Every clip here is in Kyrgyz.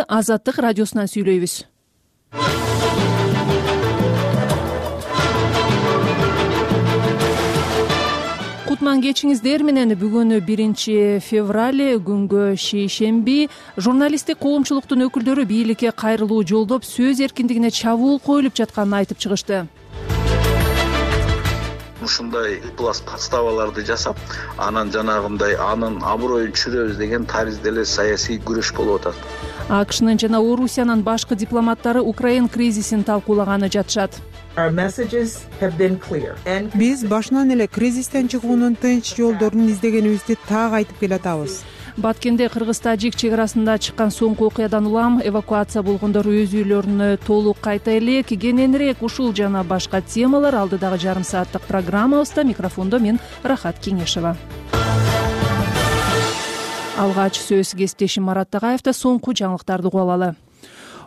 Азаттык радиосунан сүйлөйбүз. Кутман кечиңиздер менен. Бүгүн 1 февраль күнгө шейшемби. Журналисттик коомчулуктун өкүлдөрү бийликке кайрылуу жолдоп сөз эркиндигине чабуул коюлуп жатканын айтып чыгышты. Ушундай подставаларды жасап, анан жанагындай анын аброюн чүрөбүз деген таризде эле саясий күрөш болуп атат. АКШнын жана Орусиянын башкы дипломаттары Украин кризисин талкуулаганы жатышат. Биз башынан эле кризистен чыгуунун тынч жолдорун издегенибизди так айтып келатабыз. Баткенде Кыргыз-Тажик чек арасында чыккан соңку окуядан улам эвакуация болгондор өз үйлөрүнө толук кайта элек. Кененирээк ушул жана башка темалар алдыдагы жарым сааттык программабызда. Микрофондо мен Рахат Кеңешева. Алгач сөз кесиптешим Марат Тагаевда. Соңку жаңылыктарды угуп алалы.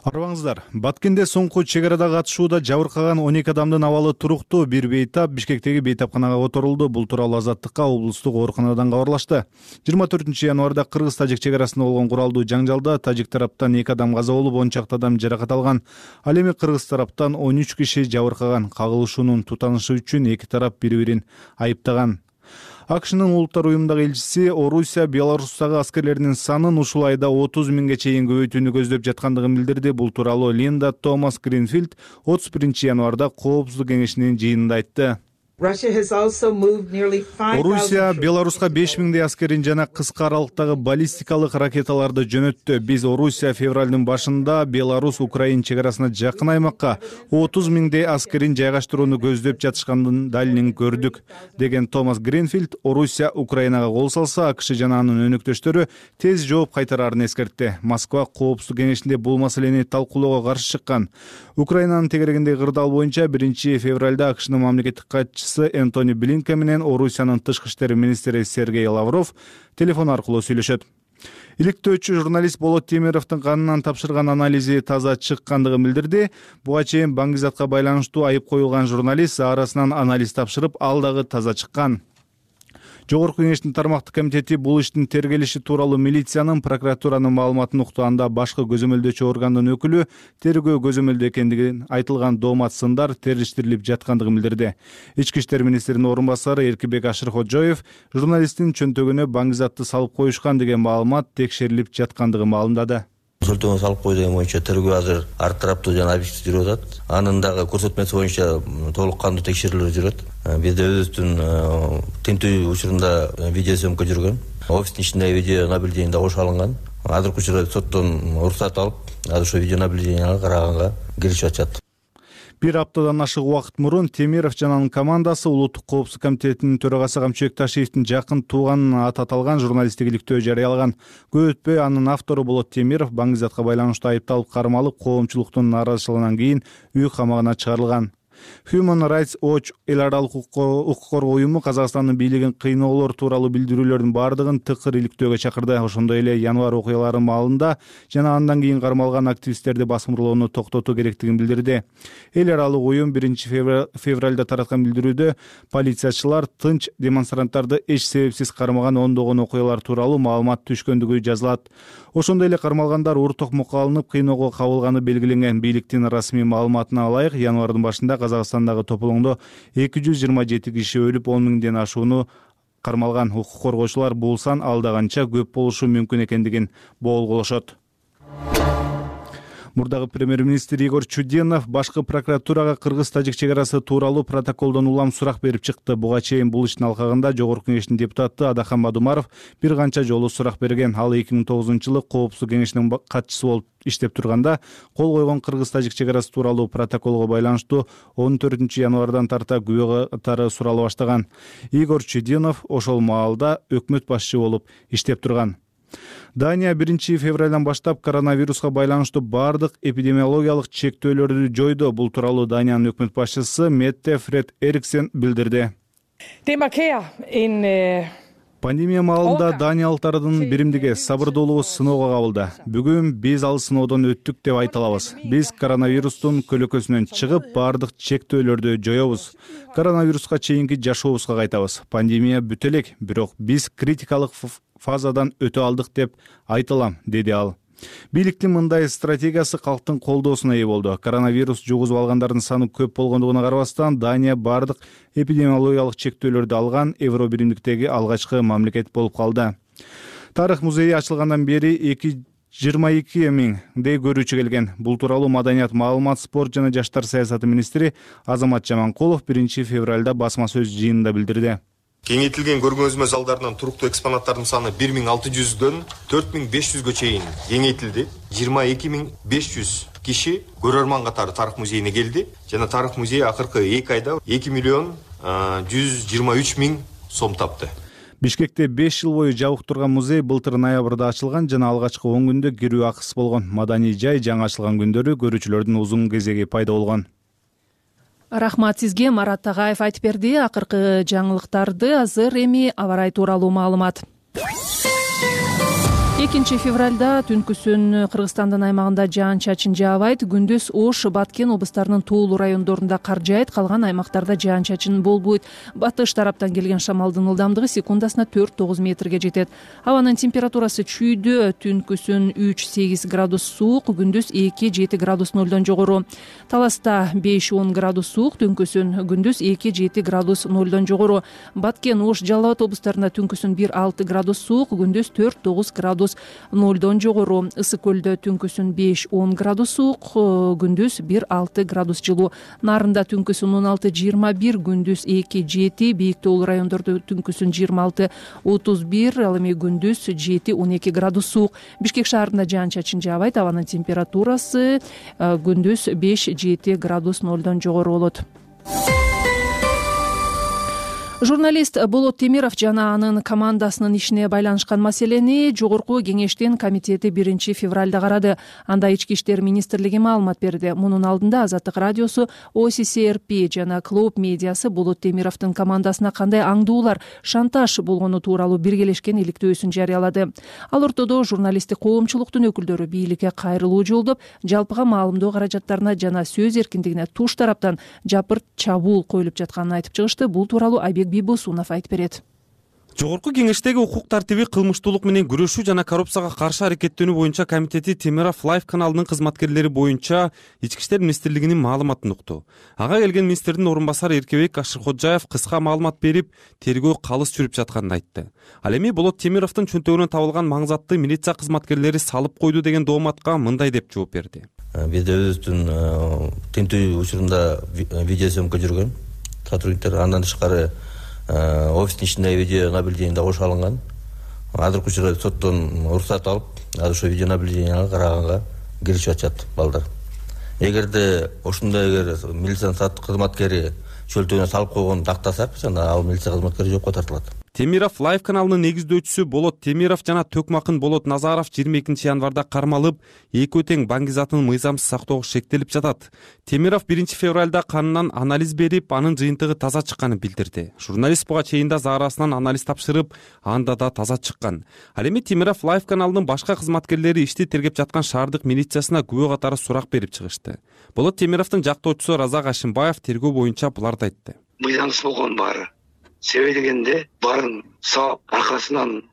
Арбаңыздар. Баткенде соңку чек арада катышууда жабыркаган 12 адамдын абалы туруктуу. Бир бейтап Бишкектеги бейтапканага которулду. Бул тууралуу Азаттыкка облустук ооруканадан кабарлашты. 24 январда Кыргыз-Тажик чек арасында болгон куралдуу жаңжалда тажик тараптан 2 адам каза болуп, 10 чакты адам жаракат алган. Ал эми Кыргыз тараптан 13 киши жабыркаган. Кагылышуунун тутанышы үчүн эки тарап бири-бирин айыптаган. АКШнын улуттар уюмундагы элчиси Орусия Беларустагы аскерлеринин санын ушул айда 30 миңге чейин көбөйтүүнү көздөп жаткандыгын билдирди. Бул тууралуу Линда Томас Гринфилд 31 январда Коопсуздук кеңешинин жыйынында айтты. Орусия Беларуска 5 миңдей аскерин жана кыска аралыктагы баллистикалык ракеталарды жөнөттү. Биз Орусия февралдын башында Беларус Украин чек арасына жакын аймакка 30 миңдей аскерин жайгаштырууну көздөп жатышкандын далилин көрдүк, деген Томас Гринфилд Орусия Украинага кол салса, АКШ жана анын өнөктөштөрү тез жооп кайтарарын эскертти. Москва Коопсуздук кеңешинде бул маселени талкуулоого каршы чыккан. Украинанын тегерегиндеги кырдаал боюнча 1 февралда АКШнын мамлекеттик катчысы Энтони Блинкен менен Орусиянын тышкы иштер министри Сергей Лавров телефон аркылуу сүйлөшөт. Иликтөөчү журналист Болот Темировдун канынан тапшырган анализи таза чыккандыгын билдирди. Буга чейин Баңгизатка байланыштуу айып коюлган журналист арасынан анализ тапшырып, ал дагы таза чыккан. Жогорку кеңештин тармактык комитети бул иштин тергелиши тууралуу милициянын, прокуратуранын маалыматын уктуганда башкы көзөмөлдөөчү органдын өкүлү тергөө көзөмөлдө экендигин айтылган доомат сындар териштирилип жаткандыгын билдирди. Ички иштер министринин орун басары Эркибек Ашыркожоев журналисттин чөнтөгүнө Баңгизатты салып коюшкан деген маалымат текшерилип жаткандыгын маалымдады. Сөлтөгөн салып кой деген боюнча тергөө азыр ар тараптуу жана объектив жүрүп атат. Анын дагы көрсөтмөсү боюнча толук кандуу текшерүүлөр жүрөт. Бизде өзүбүздүн тинтүү учурунда видео съемка жүргөн. Офистин ичиндеги видео наблюдение кошо алынган. Азыркы учурда соттон уруксат алып, азыр ошо видео наблюдениега караганга киришип атышат. Бир аптадан ашык убакыт мурун Темиров жана анын командасы Улуттук коопсуздук комитетинин төрагасы Камчыбек Ташиевдин жакын тууганын аты аталган журналисттик иликтөө жарыялаган. Көп өтпөй анын автору Болот Темиров Баңгизатка байланыштуу айыпталып кармалып, коомчулуктун нааразычылыгынан кийин үй камагына чыгарылган. Human Rights Watch эл аралык укук коргоо уюму Казакстандын бийлигин кыйноолор тууралуу билдирүүлөрдүн бардыгын тыкыр иликтөөгө чакырды. Ошондой эле январь окуялары маалында жана андан кийин кармалган активисттерди басымырлоону токтотуу керектигин билдирди. Эл аралык уюм 1 февралда тараткан билдирүүдө полициячылар тынч демонстранттарды эч себепсиз кармаган ондогон окуялар тууралуу маалымат түшкөндүгү жазылат. Ошондой эле кармалгандар ур токмокко алынып кыйноого кабылганы белгиленген. Бийликтин расмий маалыматына ылайык, январдын башында Казакстандагы тополоңдо 227 киши өлүп, 10 миңден ашууну кармалган. Укук коргоочулар бул сан алдаганча көп болушу мүмкүн экендигин болголошот. Мурдагы премьер-министр Игорь Чуденов башкы прокуратурага Кыргыз-Тажик чек арасы тууралуу протоколдон улам сурак берип чыкты. Буга чейин бул иштин алкагында Жогорку кеңештин депутаты Адахан Бадумаров бир канча жолу сурак берген. Ал 2009-жылы Коопсуздук кеңешинин катчысы болуп иштеп турганда кол койгон Кыргыз-Тажик чек арасы тууралуу протоколго байланыштуу 14 январдан тарта күбө катары сурала баштаган. Игорь Чуденов ошол маалда өкмөт башчы болуп иштеп турган. Дания 1 февралдан баштап коронавируска байланыштуу бардык эпидемиологиялык чектөөлөрдү жойду. Бул тууралуу Даниянын өкмөт башчысы Метте Фред Эриксен билдирди. Пандемия маалында даниялыктардын биримдиги сабырдуулугу сыноого кабылды. Бүгүн биз ал сыноодон өттүк деп айта алабыз. Биз коронавирустун көлөкөсүнөн чыгып, бардык чектөөлөрдү жоёбуз. Коронавируска чейинки жашообузга кайтабыз. Пандемия бүтө элек, бирок биз критикалык фазадан өтө алдык деп айта алам, деди ал. Бийликтин мындай стратегиясы калктын колдоосуна ээ болду. Коронавирус жугузуп алгандардын саны көп болгондугуна карабастан Дания бардык эпидемиологиялык чектөөлөрдү алган Евро биримдиктеги алгачкы мамлекет болуп калды. Тарых музейи ачылгандан бери 22 миңдей көрүүчү келген. Бул тууралуу Маданият, маалымат, спорт жана жаштар саясаты министри Азамат Жаманкулов 1 февралда басма сөз жыйынында билдирди. Кеңейтилген көргөзмө залдарынан туруктуу экспонаттардын саны 1600дөн 4500гө чейин кеңейтилди. 22500 киши көрөрман катары Тарых музейине келди жана Тарых музейи акыркы 2 айда 2 миллион 123 миң сом тапты. Бишкекте 5 жыл бою жабык турган музей былтыр ноябрда ачылган жана алгачкы 10 күндө кирүү акысыз болгон. Маданий жай жаңы ачылган күндөрү көрүүчүлөрдүн узун кезеги пайда болгон. Рахмат сизге, Марат Тагаев айтып берди. Акыркы жаңылыктарды азыр эми аба ырайы тууралуу маалымат. 2 февралда түнкүсүн Кыргызстандын аймагында жаан-чачын жаабайт. Күндүз Ош, Баткен облустарынын тоолуу райондорунда кар жаайт, калган аймактарда жаан-чачын болбойт. Батыш тараптан келген шамалдын ылдамдыгы секундасына 4-9 метрге жетет. Абанын температурасы чүйдө, түнкүсүн 3-8 градус суук, күндүз 2-7 градус нолдон жогору. Таласта 5-10 градус суук, түнкүсүн күндүз 2-7 градус нолдон жогору. Баткен, Ош, Жалал Абад облустарында түнкүсүн 1-6 градус суук, күндүз 4-9 градус нолдон жогору. Ысык көлдө түнкүсүн 5-10 градус суук, күндүз 1-6 градус жылуу. Нарында түнкүсүн 16-21, күндүз 2-7, бийик тоолуу райондордо түнкүсүн 26-31, ал эми күндүз 7-12 градус суук. Бишкек шаарында жаан-чачын жаабайт, абанын температурасы күндүз 5-7 градус нолдон жогору болот. Журналист Болот Темиров жана анын командасынын ишине байланышкан маселени Жогорку кеңештин комитети 1 февралда карады. Анда Ички иштер министрлиги маалымат берди. Мунун алдында Азаттык радиосу, OCCRP жана Клоуп медиасы Болот Темировдун командасына кандай аңдуулар, шантаж болгону тууралуу биргелешкен иликтөөсүн жарыялады. Ал ортодо журналисттик коомчулуктун өкүлдөрү бийликке кайрылуу жолдоп, жалпыга маалымдоо каражаттарына жана сөз эркиндигине туш тараптан жапырт чабуул коюлуп жатканын айтып чыгышты. Бул тууралуу Айбек Бибосунов айтып берет. Жогорку кеңештеги укук тартиби, кылмыштуулук менен күрөшүү жана коррупцияга каршы аракеттенүү боюнча комитети Темиров Лайф каналынын кызматкерлери боюнча Ички иштер министрлигинин маалыматын укту. Ага келген министрдин орун басары Эркебек Ашырходжаев кыска маалымат берип, тергөө калыс жүрүп жатканын айтты. Ал эми Болот Темировдун чөнтөгүнөн табылган маңзатты милиция кызматкерлери салып койду деген дооматка мындай деп жооп берди. Бизде өзүбүздүн тинтүү учурунда видеосъемка жүргөн сотрудниктер, андан тышкары офистин ичиндеги видео наблюдение да кошо алынган. Азыркы учурда соттон уруксат алып, азыр ошо видео наблюдениега караганга киришип атышат балдар. Эгерде ошондой милициянын кызматкери чөлтөгүнө салып койгонун тактасак, анда ал милиция кызматкери жоопко тартылат. Темиров Лайф каналынын негиздөөчүсү Болот Темиров жана Төкмакын Болот Назаров 22 январда кармалып, экөө тең банк затын мыйзамсыз сактоого шектелип жатат. Темиров 1 февралда канынан анализ берип, анын жыйынтыгы таза чыкканын билдирди. Журналист буга чейин да заарасынан анализ тапшырып, анда да таза чыккан. Ал эми Темиров Лайф каналынын башка кызматкерлери ишти тергеп жаткан шаардык милициясына күбө катары сурак берип чыгышты. Болот Темировдун жактоочусу Разак Ашимбаев тергөө боюнча буларды айтты. Мыйзамсыз болгон баары. Себеби дегенде барын саап, аркасынан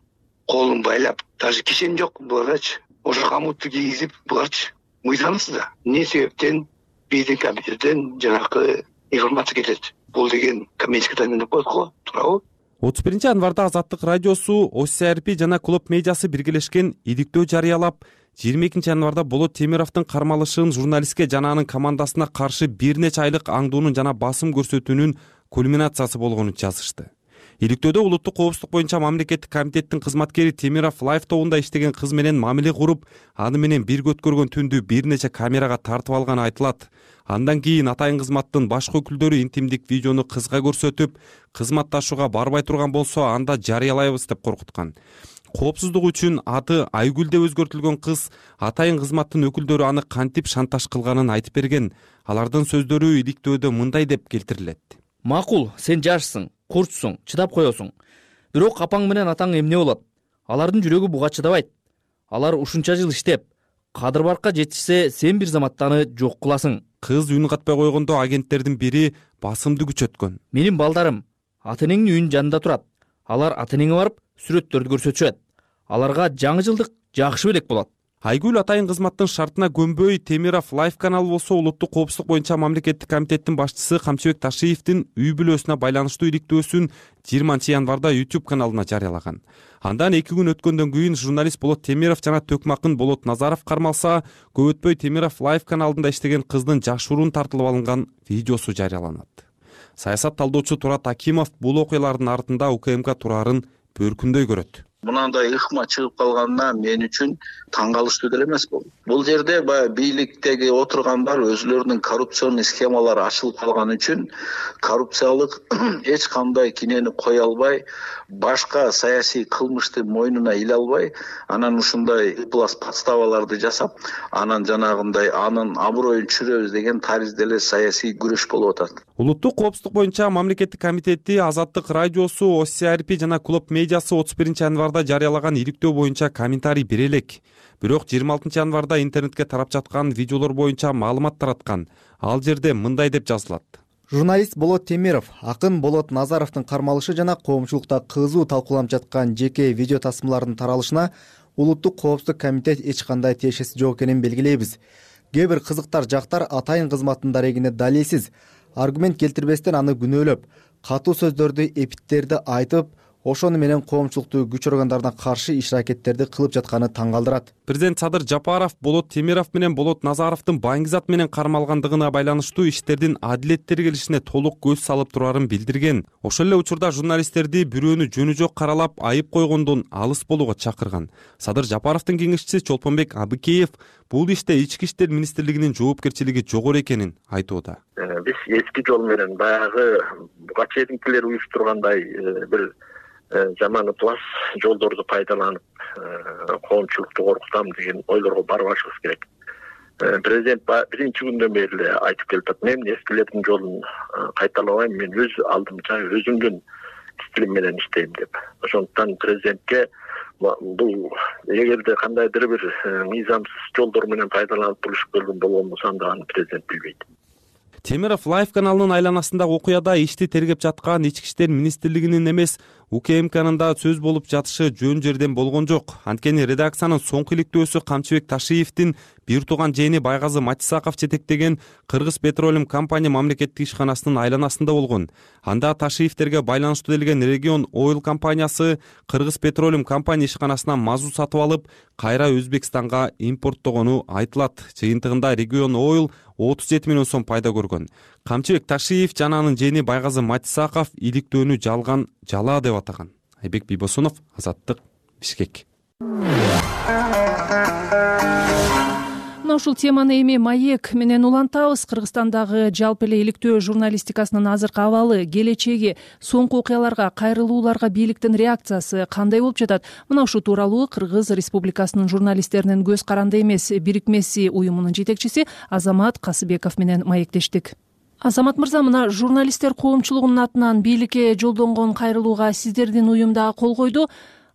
колун байлап, даже кишен жок буларчы. Ошо камутты кийгизип, буларчы мыйзамсыз да. Эмне себептен биздин компьютерден жанакы информация кетет? Бул деген коммерческий тайна деп коет го, туурабы? 31 январда Азаттык радиосу, OCCRP жана Клоп медиасы биргелешкен иликтөө жарыялап, 22 январда Болот Темировдун кармалышын журналистке жана анын командасына каршы бир нече айлык аңдуунун жана басым көрсөтүүнүн кульминациясы болгонун жазышты. Иликтөөдө улуттук коопсуздук боюнча мамлекеттик комитеттин кызматкери Темиров Лайф тобунда иштеген кыз менен мамиле куруп, аны менен бирге өткөргөн түндү бир нече камерага тартып алганы айтылат. Андан кийин атайын кызматтын башкы өкүлдөрү интимдик видеону кызга көрсөтүп, кызматташууга барбай турган болсо анда жарыялайбыз деп коркуткан. Коопсуздук үчүн аты Айгүл деп өзгөртүлгөн кыз атайын кызматтын өкүлдөрү аны кантип шантаж кылганын айтып берген. Алардын сөздөрү иликтөөдө мындай деп келтирилет. Макул, сен жашсың, курчсуң, чыдап коесуң. Бирок апаң менен атаң эмне болот? Алардын жүрөгү буга чыдабайт. Алар ушунча жыл иштеп, кадыр баркка жетишсе, сен бир заматтаны жок кыласың. Кыз үн катпай койгондо агенттердин бири басымды күчөткөн. Менин балдарым ата-энеңдин үйүнүн жанында турат. Алар ата-энеңе барып сүрөттөрдү көрсөтүшөт. Аларга жаңы жылдык жакшы белек болот. Айгүл Атайын кызматтын шартына көнбөй Темиров Лайф каналы болсо улуттук коопсуздук боюнча мамлекеттик комитеттин башчысы Камчыбек Ташиевдин үй бүлөсүнө байланыштуу иликтөөсүн 20-январда YouTube каналына жарыялаган. Андан 2 күн өткөндөн кийин журналист Болот Темиров жана төкмакын Болот Назаров кармалса, көп өтпөй Темиров Лайф каналында иштеген кыздын жашыруун тартылып алынган видеосу жарыяланат. Саясат талдоочу Турат Акимов бул окуялардын артында УКМК турарын бөркүндөй көрөт. Мынандай ыкма чыгып калганына мен үчүн таң калыштуу деле эмес бул жерде баягы бийликтеги отургандар өзүлөрүнүн коррупционный схемалары ачылып калган үчүн коррупциялык эч кандай кинени кое албай, башка саясий кылмышты мойнуна иле албай, анан ушундай подставаларды жасап, анан жанагындай анын аброюн чүрөбүз деген таризде эле саясий күрөш болуп атат. Улуттук коопсуздук боюнча мамлекеттик комитети Азаттык радиосу, OCRP жана Клуб медиасы 31-январда жарыялаган иликтөө боюнча комментарий бере элек. Бирок 26-январда интернетке тарап жаткан видеолор боюнча маалымат тараткан. Ал жерде мындай деп жазылат. Журналист Болот Темиров акын Болот Назаровдун кармалышы жана коомчулукта кызуу талкууланып жаткан жеке видео тасмалардын таралышына Улуттук коопсуздук комитет эч кандай тиешеси жок экенин белгилейбиз. Кээ бир кызыктар жактар Атайын кызматтын дарегине далилсиз, аргумент келтирбестен аны күнөөлөп, катуу сөздөрдү, эпиттерди айтып, ошону менен коомчулукту күч органдарына каршы иш-аракеттерди кылып жатканы таң калтырат. Президент Садыр Жапаров Болот Темиров менен Болот Назаровдун баңгизат менен кармалгандыгына байланыштуу иштердин адилет тергелишине толук көз салып турарын билдирген. Ошол эле учурда журналисттерди бирөөнү жөнү жок каралап, айып койгондон алыс болууга чакырган. Садыр Жапаровдун кеңешчиси Чолпонбек Абыкеев бул иште Ички иштер министрлигинин жоопкерчилиги жогору экенин айтууда. Биз эски жол менен баягы буга чейинкилер уюштургандай бир жаман плас жолдорду пайдаланып коомчулукту коркутам деген ойлорго барбашыбыз керек. Президент биринчи күндөн бери эле айтып келип атат. Мен эскилердин жолун кайталабайм, мен өз алдымча өзүмдүн стилим менен иштейм деп. Ошондуктан президентке бул эгерде кандайдыр бир мыйзамсыз жолдор менен пайдаланып турушуп келген болгон болсо анда аны президент билбейт. Темиров Лайф каналынын айланасындагы окуяда ишти тергеп жаткан Ички иштер министрлигинин эмес, УКМКнын да сөз болуп жатышы жөн жерден болгон жок. Анткени редакциянын соңку иликтөөсү Камчыбек Ташиевдин бир тууган жээни Байгазы Матисаков жетектеген Кыргыз Петролиум компания мамлекеттик ишканасынын айланасында болгон. Анда Ташиевдерге байланыштуу делген Регион Oil компаниясы Кыргыз Петролиум компания ишканасынан мазут сатып алып, кайра Өзбекстанга импорттогону айтылат. Жыйынтыгында Регион Oil 37 миллион сом пайда көргөн. Камчыбек Ташиев жана анын жээни Байгазы Матисаков иликтөөнү жалган жала деп атаган. Айбек Бийбосунов, Азаттык, Бишкек. Мына ушул теманы эми маек менен улантабыз. Кыргызстандагы жалпы эле иликтөө журналистикасынын азыркы абалы, келечеги, соңку окуяларга, кайрылууларга бийликтин реакциясы кандай болуп жатат? Мына ушул тууралуу Кыргыз Республикасынын журналисттеринин көз каранды эмес бирикмеси уюмунун жетекчиси Азамат Касыбеков менен маектештик. Азамат мырза, мына журналисттер коомчулугунун атынан бийликке жолдонгон кайрылууга сиздердин уюм дагы кол койду.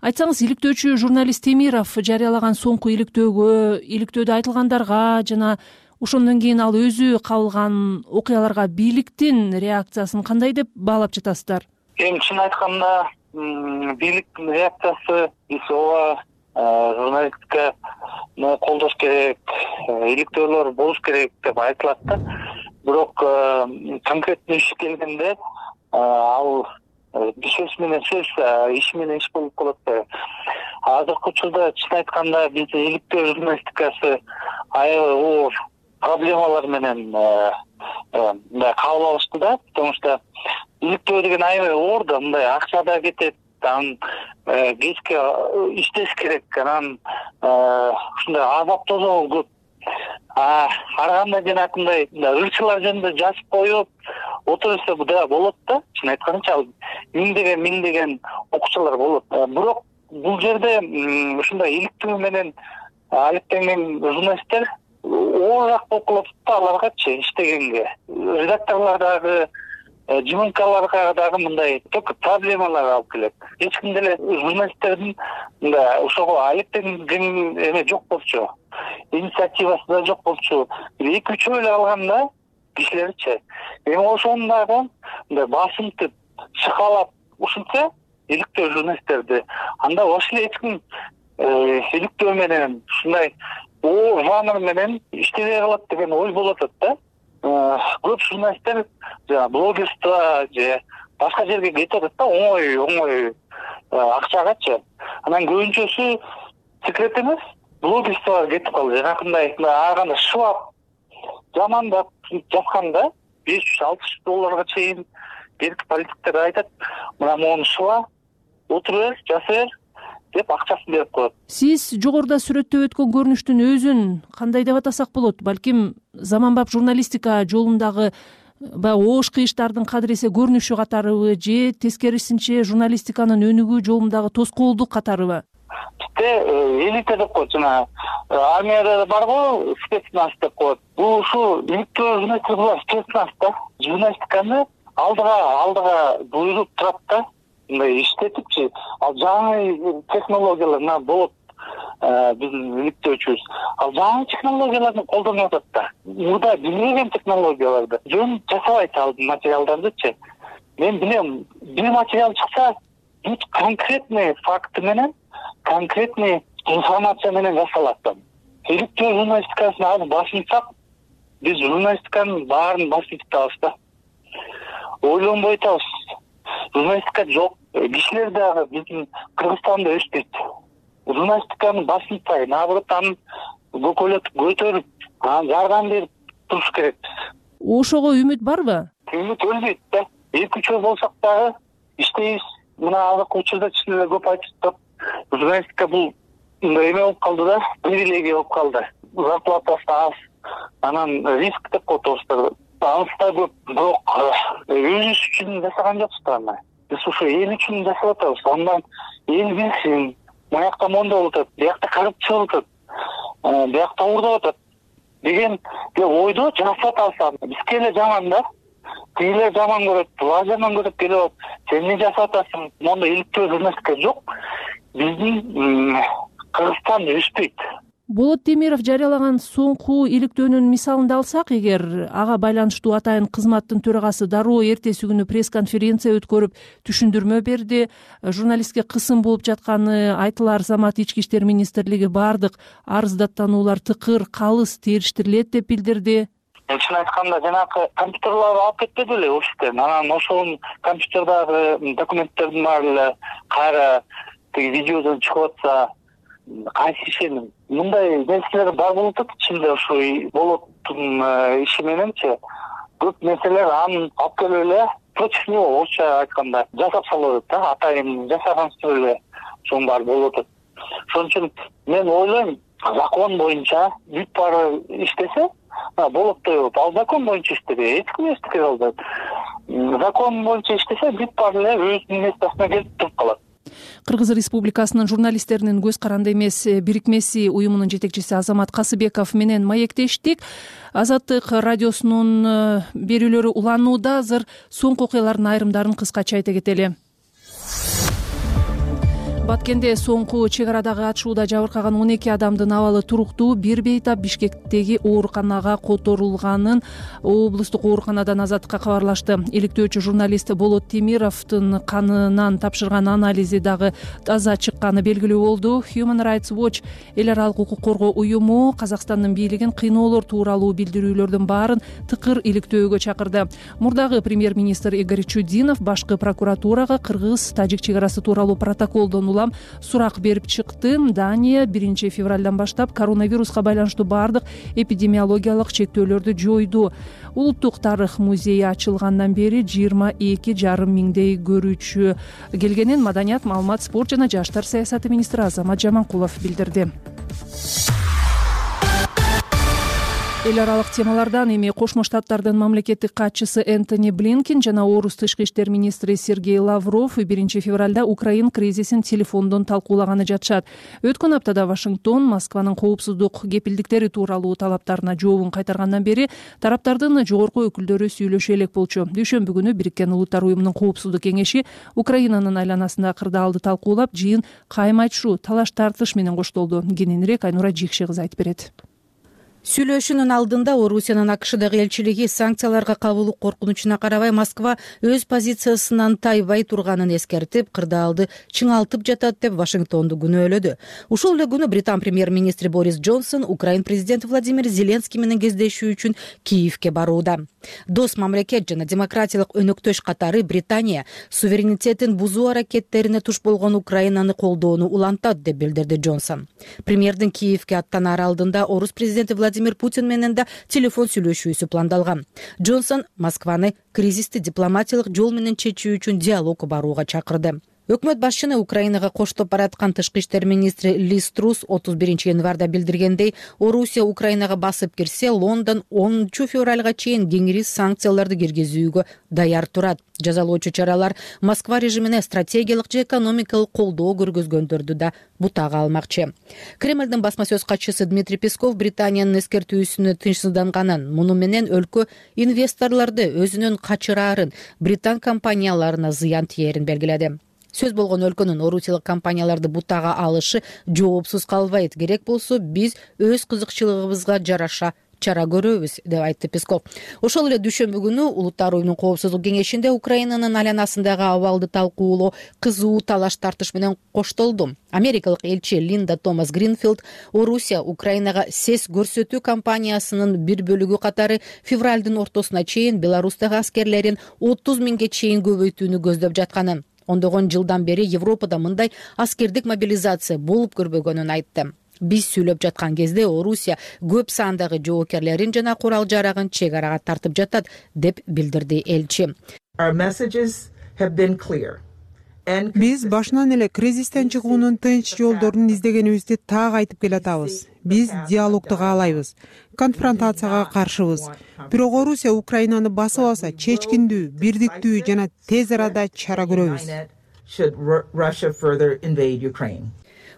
Айтсаңыз, иликтөөчү журналист Темиров жарыялаган соңку иликтөөдө айтылгандарга жана ошондон кийин ал өзү кабылган окуяларга бийликтин реакциясын кандай деп баалап жатасыздар? Эми чын айтканда, бийликтин реакциясы биз ооба журналистиканы колдош керек, иликтөөлөр болуш керек деп айтылат да. Бирок конкреттүү иш келгенде ал сөз менен сөз, иш менен иш болуп калат да. Азыркы учурда чын айтканда биздин иликтөө журналистикасы аябай оор проблемалар менен кабыл алышты да. Потому что иликтөө деген аябай оор да, мындай акча да кетет, анан кечке иштеш керек, анан ушундай азап тозоо көп. Ар кандай жанакындай ырчылар жөнүндө жазып коюп отурса да болот да. Чын айтканча миңдеген окуучулар болот. Бирок бул жерде ушундай иликтөө менен алектенген журналисттер оорураак болуп калат да аларгачы иштегенге. Редакторлор дагы, ЖМКларга дагы мындай только проблемалар алып келет. Эч ким деле журналисттердин ошого алектенген эме жок болчу. Инициативасы да жок болчу. 2-3 эле алганда кишилерчи. Эми ошону дагы басынтып, шыкалап ушинсе иликтөө журналисттерди, анда ошол эч ким иликтөө менен ушундай жанр менен иштебей калат деген ой болуп атат да. Көп журналисттер жанагы блогерство же башка жерге кетип атат да, оңой акчагачы. Анан көбүнчөсү секрет эмес, блогерствого кетип калды. Жанакындай ар кандай шылап, жамандап жазганда $500-600 чейин берки политиктер айтат, мына мону шыла, отура бер, жаса бер деп акчасын берип коет. Сиз жогоруда сүрөттөп өткөн көрүнүштүн өзүн кандай деп атасак болот? Балким заманбап журналистика жолундагы баягы оош кыйыштардын кадыреси көрүнүшү катарыбы же тескерисинче журналистиканын өнүгүү жолундагы тоскоолдук катарыбы? Бизде элита деп коет, жана армияда барго спецназ деп коет. Бул ушу иликтөө журналистика спецназ да. Журналистиканы алдыга буйруп турат да, мындай иштетипчи. Ал жаңы технологиялар болот, биздин иликтөөчүбүз. Ал жаңы технологияларды колдонуп атат да. Мурда билбеген технологияларды жөн жасабайт ал материалдардычы. Мен билем, бир материал чыкса, бүт конкретный факты менен, конкретный информация менен жасалат да. Иликтөө журналистикасын алып басынсак, биз журналистиканын баарын басып атабыз да. Ойлонбой атабыз. Журналистика жок. Кишилер дагы биздин Кыргызстанда өспөйт. Журналистиканы басынсай, наоборот, аны көтөрүп, жардам берип туруш керекпиз. Ошого үмүт барбы? Үмүт өлбөйт да. 2-3 жыл болсак дагы иштейбиз. Мына азыркы учурда чын эле көп айтышат. Журналистика бул эме болуп калды да, привилегия болуп калды. Зарплатасы аз, анан риск деп коет орустар. Анысы да көп, бирок өзүбүз үчүн жасаган жокпуз аны. Биз ушу эл үчүн жасап атабыз. Андан эл билсин, муякта мондой болуп атат, биякта коррупция болуп атат, биякта уурдап атат деген ойдо жасап атабыз. Бизге эле жаман да. Тигилер жаман көрөт, булар жаман көрөт келип, сен эмне жасап атасың? Монда иликтөө журналистика жок. Биздин Кыргызстан өспөйт. Болот Темиров жарыялаган соңку иликтөөнүн мисалын алсак, эгер ага байланыштуу атайын кызматтын төрагасы дароо эртеси күнү пресс-конференция өткөрүп түшүндүрмө берди. Журналистке кысым болуп жатканы айтылар замат ички иштер министрлиги бардык арыздаттануулар тыкыр, калыс териштирилет деп билдирди. Чын айтканда жанагы компьютерлерди алып кетпеди эле офистен. Анан ошол компьютердагы документтердин баары эле кайра тиги видеодон чыгып атса, кайсы ишеним? Мындай нерселер бар болуп атат ичинде ушу болоттун иши мененчи. Көп нерселер аны алып келип эле против него, орусча айтканда, жасап салып атат да, атайын жасагансыз эле ошонун баары болуп атат. Ошон үчүн мен ойлойм, закон боюнча бүт баары иштесе, болоттой болуп, ал закон боюнча иштеди, эч ким эчтеке кылбайт. Закон боюнча иштесе, бүт баары эле өзүнүн местосуна келип туруп калат. Кыргыз Республикасынын журналисттеринин көз каранды эмес бирикмеси уюмунун жетекчиси Азамат Касыбеков менен маектештик. Азаттык радиосунун берүүлөрү уланууда. Азыр соңку окуялардын айрымдарын кыскача айта кетели. Баткенде соңку чек арадагы атышууда жабыркаган 12 адамдын абалы туруктуу. Бир бейтап Бишкектеги ооруканага которулганын облустук ооруканадан Азаттыкка кабарлашты. Иликтөөчү журналист Болот Темировдун канынан тапшырган анализи дагы таза чыкканы белгилүү болду. Human Rights Watch эл аралык укук коргоо уюму Казакстандын бийлигин кыйноолор тууралуу билдирүүлөрдүн баарын тыкыр иликтөөгө чакырды. Мурдагы премьер-министр Игорь Чудинов башкы прокуратурага кыргыз-тажик чек арасы тууралуу протоколдон сурак берип чыкты. Дания 1 февралдан баштап коронавируска байланыштуу бардык эпидемиологиялык чектөөлөрдү жойду. Улуттук тарых музейи ачылгандан бери 22,5 миңдей көрүүчү келгенин Маданият, маалымат, спорт жана жаштар саясаты министри Азамат Жаманкулов билдирди. Эл аралык темалардан эми Кошмо Штаттардын мамлекеттик катчысы Энтони Блинкен жана орус тышкы иштер министри Сергей Лавров 1 февралда Украин кризисин телефондон талкуулаганы жатышат. Өткөн аптада Вашингтон Москванын коопсуздук кепилдиктери тууралуу талаптарына жообун кайтаргандан бери тараптардын жогорку өкүлдөрү сүйлөшө элек болчу. Дүйшөмбү күнү Бириккен Улуттар уюмунун коопсуздук кеңеши Украинанын айланасында кырдаалды талкуулап, жыйын кайым айтышуу, талаш тартыш менен коштолду. Кененирээк Айнура Жикши кызы айтып берет. Сүйлөшүүнүн алдында Орусиянын АКШдагы элчилиги санкцияларга кабылуу коркунучуна карабай Москва өз позициясынан тайбай турганын эскертип, кырдаалды чыңалтып жатат деп Вашингтонду күнөөлөдү. Ушул эле күнү Британ премьер-министри Борис Джонсон Украин президенти Владимир Зеленский менен кездешүү үчүн Киевке барууда. Дос мамлекет жана демократиялык өнөктөш катары Британия суверенитетин бузуу аракеттерине туш болгон Украинаны колдоону улантат деп билдирди Джонсон. Премьердин Киевке аттанаар алдында орус президенти Владимир Путин менен да телефон сүйлөшүүсү пландалган. Джонсон Москваны кризисти дипломатиялык жол менен чечүү үчүн диалогко барууга чакырды. Өкмөт башчыны Украинага коштоп бараткан тышкы иштер министри Лиз Трус 31 январда билдиргендей, Орусия Украинага басып кирсе, Лондон 10 февралга чейин кеңири санкцияларды киргизүүгө даяр турат. Жазалоочу чаралар Москва режимине стратегиялык же экономикалык колдоо көргөзгөндөрдү да бутага алмакчы. Кремлдин басма сөз катчысы Дмитрий Песков Британиянын эскертүүсүнө тынчсызданганын, муну менен өлкө инвесторлорду өзүнөн качыраарын, британ компанияларына зыян тиерин белгиледи. Сөз болгон өлкөнүн орусиялык компанияларды бутага алышы жоопсуз калбайт. Керек болсо биз өз кызыкчылыгыбызга жараша чара көрөбүз, деп айтты Песков. Ошол эле дүйшөмбү күнү Улуттар уюмунун коопсуздук кеңешинде Украинанын айланасындагы абалды талкуулоо кызуу талаш тартыш менен коштолду. Америкалык элчи Линда Томас Гринфилд Орусия Украинага сес көрсөтүү кампаниясынын бир бөлүгү катары февралдын ортосуна чейин Беларустагы аскерлерин 30 миңге чейин көбөйтүүнү көздөп жатканын, ондогон жылдан бери Европада мындай аскердик мобилизация болуп көрбөгөнүн айтты. Биз сүйлөп жаткан кезде Орусия көп сандагы жоокерлерин жана курал-жарагын чек арага тартып жатат, деп билдирди элчи. Биз башынан эле кризистен чыгуунун тынч жолдорун издегенибизди так айтып келатабыз. Биз диалогду каалайбыз, конфронтацияга каршыбыз. Бирок Орусия Украинаны басып алса, чечкиндүү, бирдиктүү жана тез арада чара көрөбүз.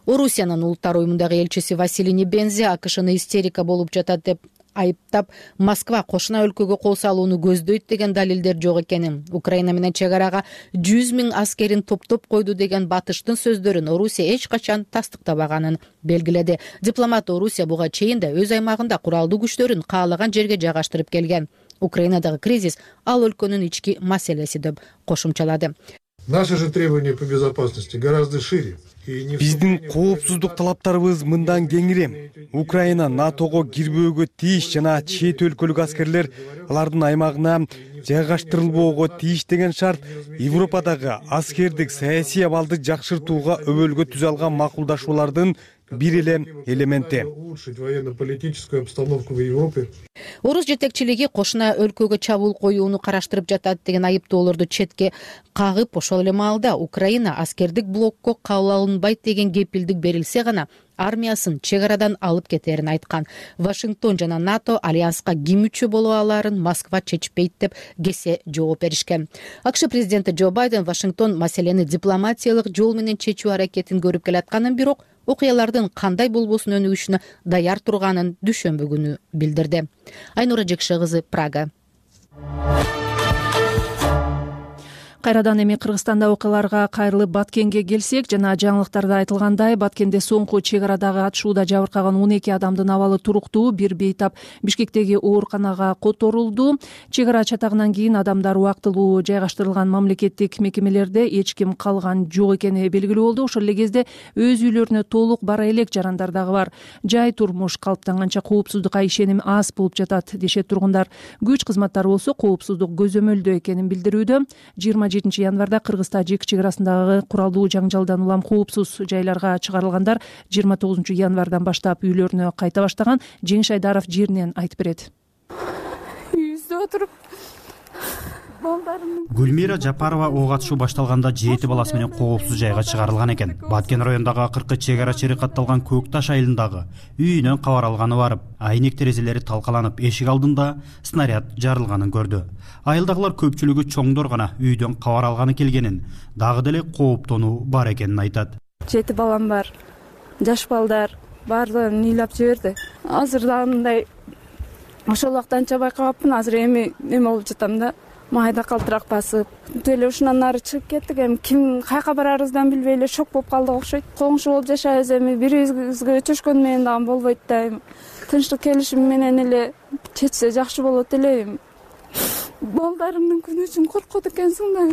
Орусиянын Улуттар уюмундагы элчиси Василий Небензи АКШны истерика болуп жатат деп айыптап, Москва кошуна өлкөгө кол салууну көздөйт деген далилдер жок экенин, Украина менен чек арага 100 миң аскерин топтоп койду деген батыштын сөздөрүн Орусия эч качан тастыктабаганын белгиледи. Дипломат Орусия буга чейин да өз аймагында куралдуу күчтөрүн каалаган жерге жайгаштырып келген. Украинадагы кризис ал өлкөнүн ички маселеси деп кошумчалады. Наши же требования по безопасности гораздо шире. Биздин коопсуздук талаптарыбыз мындан кеңири. Украина НАТОго кирбөөгө тийиш жана чет өлкөлүк аскерлер алардын аймагына жайгаштырылбоого тийиш деген шарт Европадагы аскердик саясий абалды жакшыртууга өбөлгө түзө алган макулдашуулардын бир эле элементи. Орус жетекчилиги кошуна өлкөгө чабуул коюуну караштырып жатат деген айыптоолорду четке кагып, ошол эле маалда Украина аскердик блокко кабыл алынбайт деген кепилдик берилсе гана армиясын чек арадан алып кетерин айткан. Вашингтон жана НАТО альянска ким мүчө боло аларын Москва чечпейт деп кесе жооп беришкен. АКШ президенти Джо Байден Вашингтон маселени дипломатиялык жол менен чечүү аракетин көрүп келатканын, бирок окуялардын кандай болбосун өнүгүшүнө даяр турганын дүйшөмбү күнү билдирди. Айнура Жекше кызы, Прага. Кайрадан эми Кыргызстанда окуяларга кайрылып Баткенге келсек, жана жаңылыктарда айтылгандай, Баткенде соңку чек арадагы атышууда жабыркаган 12 адамдын абалы туруктуу. Бир бейтап Бишкектеги ооруканага которулду. Чек ара чатагынан кийин адамдар убактылуу жайгаштырылган мамлекеттик мекемелерде эч ким калган жок экени белгилүү болду. Ошол эле кезде өз үйлөрүнө толук бара элек жарандар дагы бар. Жай турмуш калыптанганча коопсуздукка ишеним аз болуп жатат, дешет тургундар. Күч кызматтары болсо коопсуздук көзөмөлдө экенин билдирүүдө. 27 январда Кыргыз-Тажик чек арасындагы куралдуу жаңжалдан улам коопсуз жайларга чыгарылгандар 29 январдан баштап үйлөрүнө кайта баштаган. Жеңиш Айдаров жеринен айтып берет. Үйүбүздө отуруп Гүлмира Жапарова ок атышуу башталганда 7 баласы менен коопсуз жайга чыгарылган экен. Баткен районундагы акыркы чек ара чери катталган Көк Таш айылындагы үйүнөн кабар алганы барып, айнек терезелери талкаланып, эшик алдында снаряд жарылганын көрдү. Айылдагылар көпчүлүгү чоңдор гана үйдөн кабар алганы келгенин, дагы деле кооптонуу бар экенин айтат. 7 балам бар, жаш балдар баардыгын ыйлап жиберди. Азыр дагы мындай ошол убакта анча байкабапмын, азыр эми неме болуп жатам да. Майда калтырак басып, эле ушунан ары чыгып кеттик. Эми ким кайка барарыбыздан билбей эле шок болуп калдык окшойт. Коңшу болуп жашайбыз, эми бирибизге өчөшкөн менен дагы болбойт да. тынчтык келишим менен эле чечсе жакшы болот элем. Балдарымдын күнү үчүн коркот экенсиң да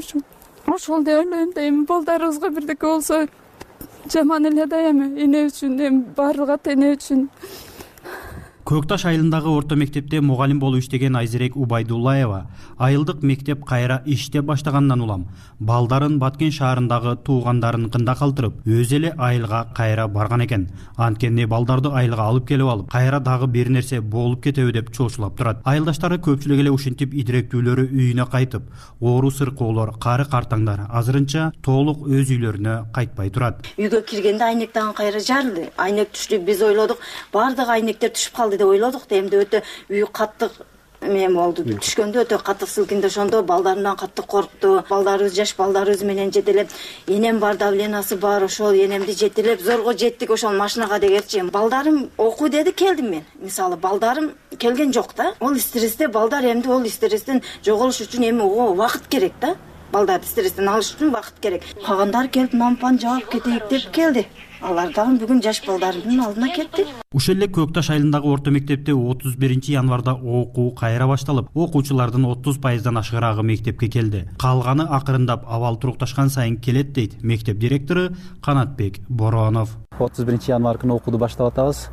ошол деп ойлойм да. Эми балдарыбызга бирдеке болсо жаман эле да. Эми эне үчүн, эми баардык ата эне үчүн. Көк Таш айылындагы орто мектепте мугалим болуп иштеген Айзерек Убайдуллаева айылдык мектеп кайра иштеп баштагандан улам балдарын Баткен шаарындагы туугандарыныкында калтырып, өзү эле айылга кайра барган экен. Анткени балдарды айылга алып келип алып, кайра дагы бир нерсе болуп кетеби деп чоочулап турат. Айылдаштары көпчүлүк эле ушинтип идиректүүлөрү үйүнө кайтып, оору сыркоолор, кары картаңдар азырынча толук өз үйлөрүнө кайтпай турат. Үйгө киргенде айнек дагы кайра жарылды. Айнек түштү, биз ойлодук, баардык айнектер түшүп калды деп ойлодук да. Эмди өтө үй каттык эме болду. Түшкөндө өтө каттык силкинди. Ошондо балдарымдан каттык коркту. Балдарыбыз, жаш балдарыбыз менен жетелеп, энем бар, давленасы бар, ошол энемди жетелеп зорго жеттик ошол машинага дегерчи. Балдарым окуу деди, келдим мен. Мисалы балдарым келген жок да. Ол стрессте балдар эмди ол стресстен жоголуш үчүн эми убакыт керек да. Балдарды стресстен алыш үчүн убакыт керек. Калгандар келип нампан жаап кетейик деп келди. Алар дагы бүгүн жаш балдарымдын алдына кетти. Ошол эле Көк Таш айылындагы орто мектепте 31-январда окуу кайра башталып, окуучулардын 30%дан ашыгыраагы мектепке келди. Калганы акырындап абал турукташкан сайын келет дейт мектеп директору Канатбек Боронов. 31-январ күнү окууду баштап атабыз.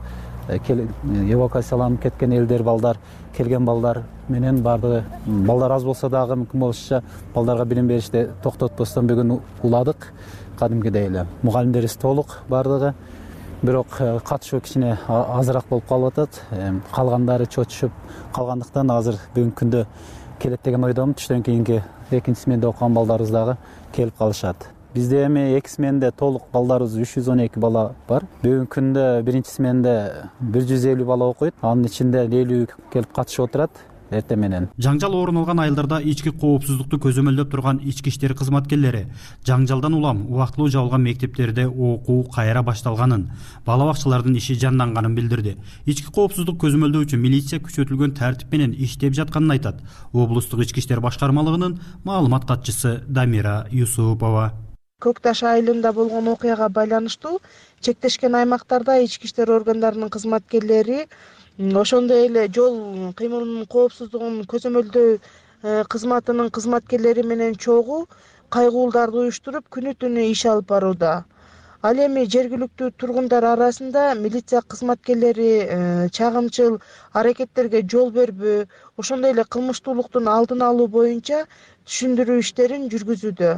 Эвакуацияланып кеткен элдер, балдар, келген балдар менен баардыгы балдар аз болсо дагы мүмкүн болушунча балдарга билим беришти токтотпостон бүгүн уладык. Кадимгидей эле мугалимдерибиз толук баардыгы, бирок катышуу кичине азыраак болуп калып атат. Калгандары чочушуп калгандыктан азыр бүгүнкү күндө келет деген ойдомун. Түштөн кийинки экинчи сменде окуган балдарыбыз дагы келип калышат. Бизде эми эки сменде толук балдарыбыз 312 бала бар. Бүгүнкү күндө биринчи сменде 150 бала окуйт. Анын ичинде 50 келип катышып отурат. Эртең менен жаңжал орун алган айылдарда ички коопсуздукту көзөмөлдөп турган ички иштер кызматкерлери жаңжалдан улам убактылуу жабылган мектептерде окуу кайра башталганын, бала бакчалардын иши жанданганын билдирди. Ички коопсуздук көзөмөлдөө үчүн милиция күчөтүлгөн тартип менен иштеп жатканын айтат облустук ички иштер башкармалыгынын маалымат катчысы Дамира Юсупова. Көк Таш айылында болгон окуяга байланыштуу чектешкен аймактарда ички иштер органдарынын кызматкерлери ошондой эле жол кыймылынын коопсуздугун көзөмөлдөө кызматынын кызматкерлери менен чогуу кайгуулдарды уюштуруп күнү түнү иш алып барууда. Ал эми жергиликтүү тургундар арасында милиция кызматкерлери чагымчыл аракеттерге жол бербөө, ошондой эле кылмыштуулуктун алдын алуу боюнча түшүндүрүү иштерин жүргүзүүдө.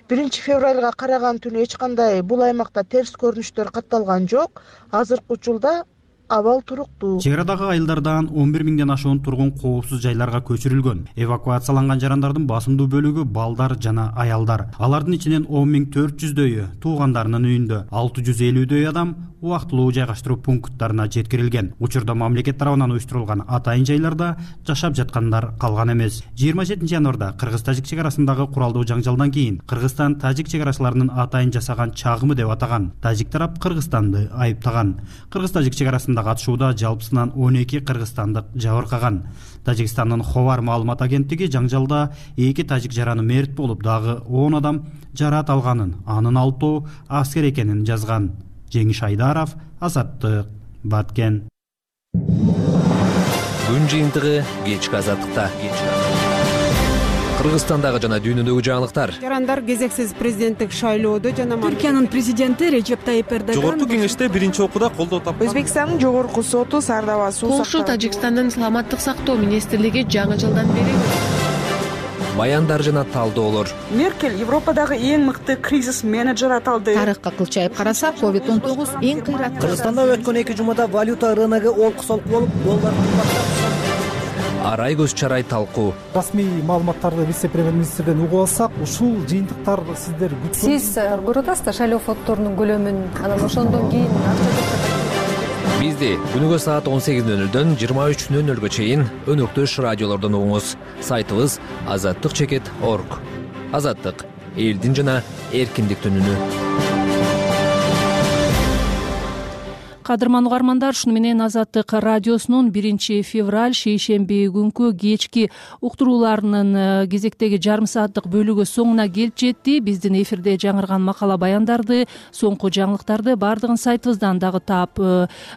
1 февралга караган түнү эч кандай бул аймакта терс көрүнүштөр катталган жок. Азыркы учурда абал туруктуу. Чек арадагы айылдардан 11 миңден ашуун тургун коопсуз жайларга көчүрүлгөн. Эвакуацияланган жарандардын басымдуу бөлүгү балдар жана аялдар. Алардын ичинен 10.400дөйү туугандарынын үйүндө, 650дөй адам убактылуу жайгаштыруу пункттарына жеткирилген. Учурда мамлекет тарабынан уюштурулган атайын жайларда жашап жаткандар калган эмес. 27-январда Кыргыз-Тажик чек арасындагы куралдуу жаңжалдан кийин Кыргызстан-Тажик чек арасыларынын атайын жасаган чагымы деп атаган. Тажик тарап Кыргызстанды айыптаган. Кыргыз-Тажик чек арасында катышууда жалпысынан 12 кыргызстандык жабыркаган. Тажикстандын Ховар маалымат агенттиги жаңжалда 2 тажик жараны мерт болуп, дагы 10 адам жараат алганын, анын 6 аскер экенин жазган. Жеңиш Айдаров, Азаттык, Баткен. Күн жыйынтыгы кечки Азаттыкта. Кыргызстандагы жана дүйнөдөгү жаңылыктар. Жарандар кезексиз президенттик шайлоодо жана Түркиянын президенти Режеп Тайип Эрдоган Жогорку кеңеште биринчи окууда колдоо тапкан. Өзбекстандын жогорку соту Сардава суу Польша Тажикстандын саламаттык сактоо министрлиги жаңы жылдан бери баяндар жана талдоолор. Меркель Европадагы эң мыкты кризис менеджер аталды. Тарыхка кылчайып карасак, COVID-19 эң кыйраттуу. Кыргызстанда өткөн 2 жумада валюта рыногу олку-солку болуп, доллар кымбаттап. Арай көз чарай талкуу. Расмий маалыматтарды вице-премьер-министрден угуп алсак, ушул жыйынтыктар сиздер Сиз көрүп атасыздар шайлоо фонддорунун көлөмүн, анан ошондон кийин Бизди күнүгө саат 18:00дөн 23:00га чейин өнөктөш радиолордон угуңуз. Сайтыбыз azattik.org. Азаттык — элдин жана эркиндиктин үнү. кадырман угармандар, шуну менен Азаттык радиосунун 1-февраль шейшемби күнкү кечки уктурууларынын кезектеги жарым сааттык бөлүгү соңуна келип жетти. Биздин эфирде жаңырган макала баяндарды, соңку жаңылыктарды баардыгын сайтыбыздан дагы таап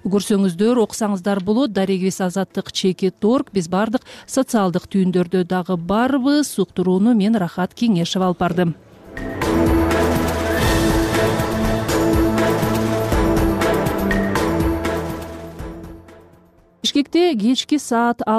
көрсөңүздөр, окусаңыздар болот. Дарегибиз azattik.org. Биз баардык социалдык түйүндөрдө дагы барбыз. Уктурууну мен Рахат Кеңешева алып бардым. Бишкекте кечки саат 6